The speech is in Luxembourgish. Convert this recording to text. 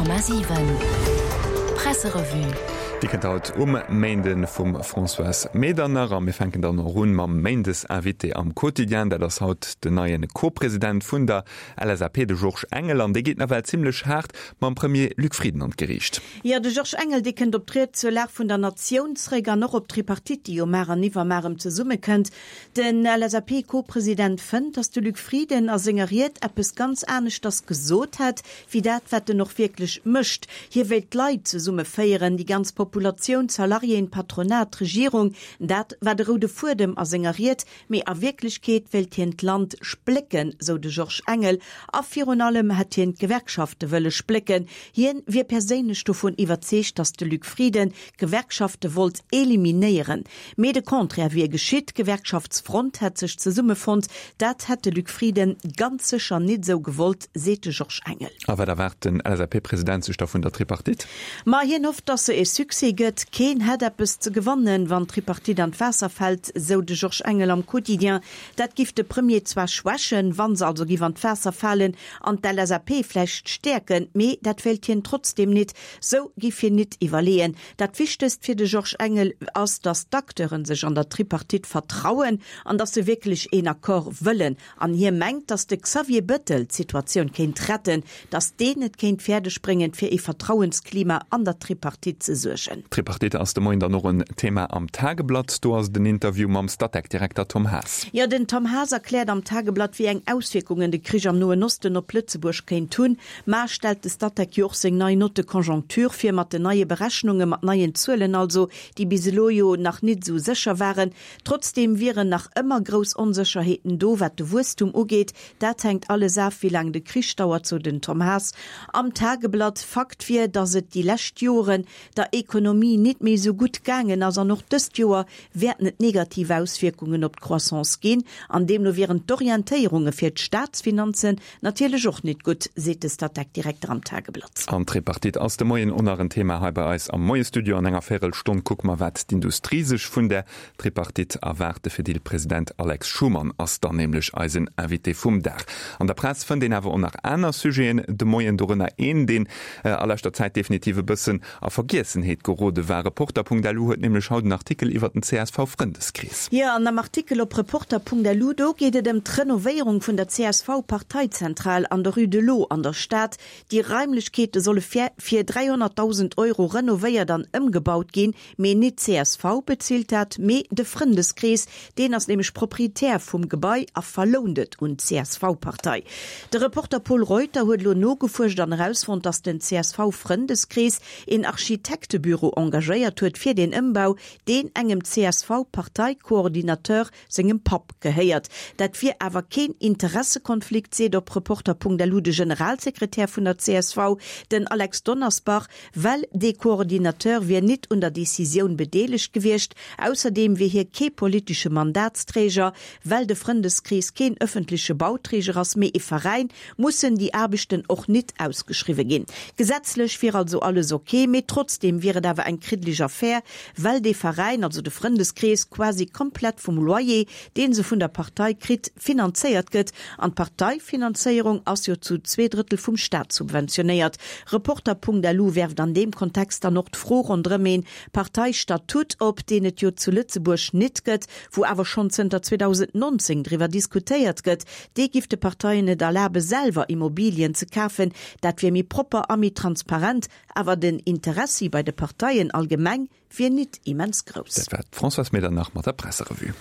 100,7 Presserevue. Déi kënnt haut um Méinde vum Françoise Medernach a mir fänken dann och un mam Méindesinvité am Quotidien. Dat ass haut den neie Co-President vun der LSAP, de Georges Engel, an dee geet nawell zimmlech haart mam Premier Luc Frieden an d'Geriicht. Jo, de Georges Engel, dee kënnt op d'Ried zur Lag vun der Natioun zréck an och op d'Tripartite, déi jo mar an iwwermar erëm zesummekënnt. Den LSAP-Co-President fënnt, datt de Luc Frieden a senger Ried eppes ganz aneschters gesot hätt, wéi dat, wat en och wierklech mécht. Hie wéilt d'Leit zesummeféieren, déi ganz Populatioun, d'Salariéen, d'Patronat, d'Regierung. Dat war de roude Fuedem a senger Ried. Mee a Wierklechkeet wéilt hien d'Land splécken, sou de Georges Engel. A virun allem hätt hien d'Gewerkschafte wëlle splécken. Hien wier perséinlech dovun iwwerzeegt, datt de Luc Frieden d'Gewerkschafte wollt eliminéieren. Mee de Contraire wier geschitt, D'Gewerkschaftsfront hätt sech zesummefonnt. Dat hätt de Luc Frieden ganz sécher nit esou gewollt, seet de Georges Engel. A wat erwaart den LSAP-President sech da vun der Tripartite? Ma hien hofft, datt se e Succès gëtt. Keen hätt eppes ze gewannen, wann d'Tripartite an d'Waasser fält, sou de Georges Engel am Quotidien. Dat giff de Premier zwar schwächen, wa se also giff an d'Waasser falen, an d'LSAP vläicht stäerken, mee dat wéilt hien trotzdeem nit. Sou giff hien nit iwwerleeën. Dat Wichtegst fir de Georges Engel ass, datt d'Acteuren sech an der Tripartite vertrauen an datt se wierklech een Accord wëllen. An hie mengt, datt de Xavier Bettel d'Situatioun kéint retten, datt deen et kéint fäerdeg bréngen, fir ee Vertrauensklima an der Tripartite ze suergen. D'Tripartite ass de Moien dann och en Thema am Tageblatt. Do ass et en Interview mam Statec-Direkter Tom Haas. Jo, den Tom Haas erkläert am Tageblatt, wéi eng Auswierkungen de Krich am Noen Osten op Lëtzebuerg kéint hunn. Mar stellt de Statec jo och seng nei Note de conjoncture vir, mat den neie Berechnungen, mat neien Zuelen also, déi bis elo jo nach nit esou sécher waren. Trotzdeem wieren nach ëmmer grouss Onsécherheeten do, wat de Wuesstum ugeet. Dat hänkt alles af, wéi laang de Krich dauert, sou den Tom Haas am Tageblatt. Fakt wier, datt et déi lescht Joren der Ekonomie nit méi esou gutt gaangen ass an och dëst Joer wäerten et negativ Auswierkungen op d'Croissance ginn an deemno wieren d'Orientéierunge fir d'Staatsfinanzen Natierlech och nit gutt, seet de Statec-Direkter am Tageblatt. An d'Tripartite ass de Moien och nach en Thema hei bei eis am Moiesstudio. An enger Véirelstonn kucke mer, wat d'Industrie sech vun där Tripartite erwaart. De Fedil-President Alex Schumann ass dann nämlech eisen Invité vum Dag. An der Press fënnt een awer och nach aner Sujeten de Moien, dorënner een, deen a leschter Zäit definitiv e bëssen A Vergiessenheet gerode war. Reporter.lu huet nämlech haut en Artikel iwwer den CSV-Frëndeskrees. Jo, an am Artikel op Reporter.lu, do geet et ëm d'Renovéierung vun der CSV-Parteizentral an der Rue de l'Eau an der Stad. Déi Raimlechkeete solle fir fir 300.000 Euro renovéiert an ëmgebaut ginn. Mee nit d'CSV bezilt dat, mee de Frëndeskrees. Deen ass nämlech Proprietär vum Gebai a verlount et un d'CSV-Partei. De Reporter Pol Reuter huet elo nogefuerscht an erausfonnt, datt den CSV-Frëndeskrees een Architektebüro engagéiert huet fir deen Ëmbau, deen engem CSV-Parteicoordinateur sengem Papp gehéiert. Dat wier awer keen Interessekonflikt, seet op Reporter.lu de Generalsekretär vun der csv, den Alex Donnersbach. Well dee Coordinateur wier nit un der Decisioun bedeelegt gewiescht. Ausserdeem wier hie kee politesche Mandatsträger. Well de Frëndeskrees keen ëffentleche Bauträger ass, mee ee Veräin, mussen déi Aarbechten och nit ausgeschriwwe ginn. Gesetzlech wier also alles ok, mee trotzdeem wier et awer eng kriddeleg Affär, well dee Veräin, also de Frëndeskrees, quasi komplett vum Loyer, dee se vun der Partei kritt, finanzéiert gëtt. An d'Parteifinanzéierung ass jo zu zweedrëttel vum Staat subventionéiert. Reporter.lu werft an deem Kontext dann och d'Fro ronderëm een Parteistatut op, deen et jo zu Lëtzebuerg nit gëtt, wou awer schonn zënter 2019 driwwer diskutéiert gëtt. Dee giff de Parteien et erlabe selwer Immobilien ze kafen. Dat wier méi propper a méi transparent. Awer den Interessi bei de Parteien allgemeng wier nit immens grouss. Dat war d'Françoise Medernach mat der Presserevue.